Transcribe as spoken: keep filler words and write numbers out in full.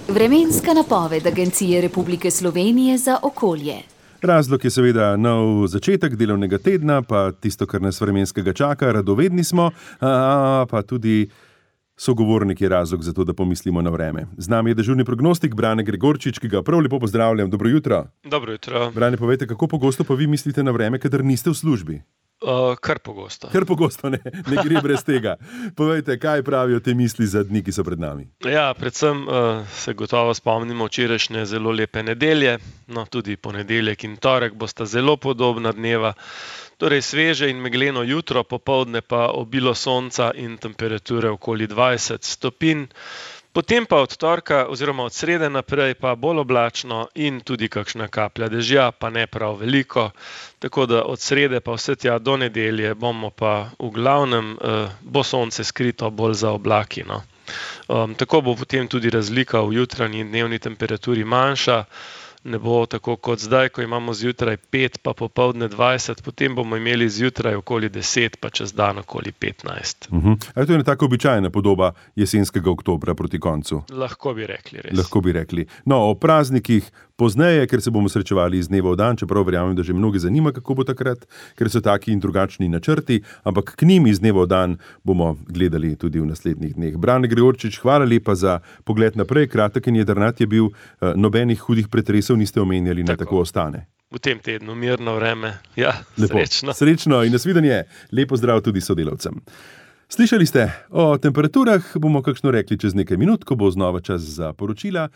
Vremenska napoved Agencije Republike Slovenije za okolje. Razlog je seveda nov začetek delovnega tedna, pa tisto, kar nas vremenskega čaka, radovedni smo, a, pa tudi sogovornik je razlog za to, da pomislimo na vreme. Z nami je dežurni prognostik Brane Gregorčič, ki ga prav lepo pozdravljam. Dobro jutro. Dobro jutro. Brane, povejte, kako pogosto pa vi mislite na vreme, kadar niste v službi? Uh, kar pogosto. Kar pogosto, ne, ne gre brez tega. Povejte, kaj pravijo te misli za dni, ki so pred nami? Ja, predvsem uh, se gotovo spomnimo včerajšnje zelo lepe nedelje, no tudi ponedeljek in torek bosta zelo podobna dneva. Torej sveže in megleno jutro, popoldne pa obilo sonca in temperature okoli dvajset stopinj. Potem pa od torka oziroma od srede naprej pa bolj oblačno in tudi kakšna kaplja dežja, pa ne prav veliko. Tako da od srede pa vse tja do nedelje bomo pa v glavnem eh, bo sonce skrito bolj za oblaki. No. Um, tako bo potem tudi razlika v jutranji in dnevni temperaturi manjša. Ne bo tako kot zdaj, ko imamo zjutraj pet, pa popoldne dvajset, potem bomo imeli zjutraj okoli deset, pa čez dan okoli petnajst. Uh-huh. Ali to je taka običajna podoba jesenskega oktobra proti koncu? Lahko bi rekli, res. Lahko bi rekli. No, o praznikih pozneje, ker se bomo srečevali iz dneva v dan, čeprav verjamem, da že mnogi zanima, kako bo takrat, ker so taki in drugačni načrti, ampak k njim iz dneva v dan bomo gledali tudi v naslednjih dneh. Brane Gregorčič, hvala lepa za pogled naprej, kratek in jedrnat je bil, nobenih hudih pretresov niste omenjali, ne tako ostane. V tem tednu mirno vreme, ja, lepo. Srečno. Srečno in nasvidenje, lepo zdrav tudi sodelavcem. Slišali ste o temperaturah, bomo kakšno rekli čez nekaj minut, ko bo znova čas za poročila.